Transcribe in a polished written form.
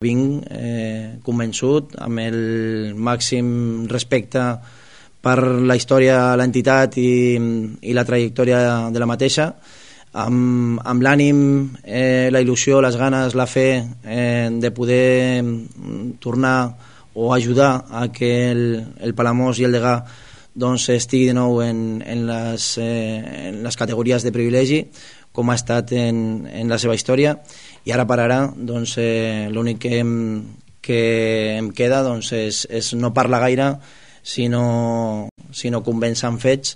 Vinc convençut, amb el màxim respecte per la història de l'entitat i la trajectòria de la mateixa, amb l'ànim, la il·lusió, les ganes, la fe de poder tornar o ajudar a que el Palamós i el Degà doncs, estigui de nou en les categories de privilegi, com ha estat en la seva història. I ara per ara doncs, l'únic que em queda doncs, és no parlar gaire, sinó convèncer amb fets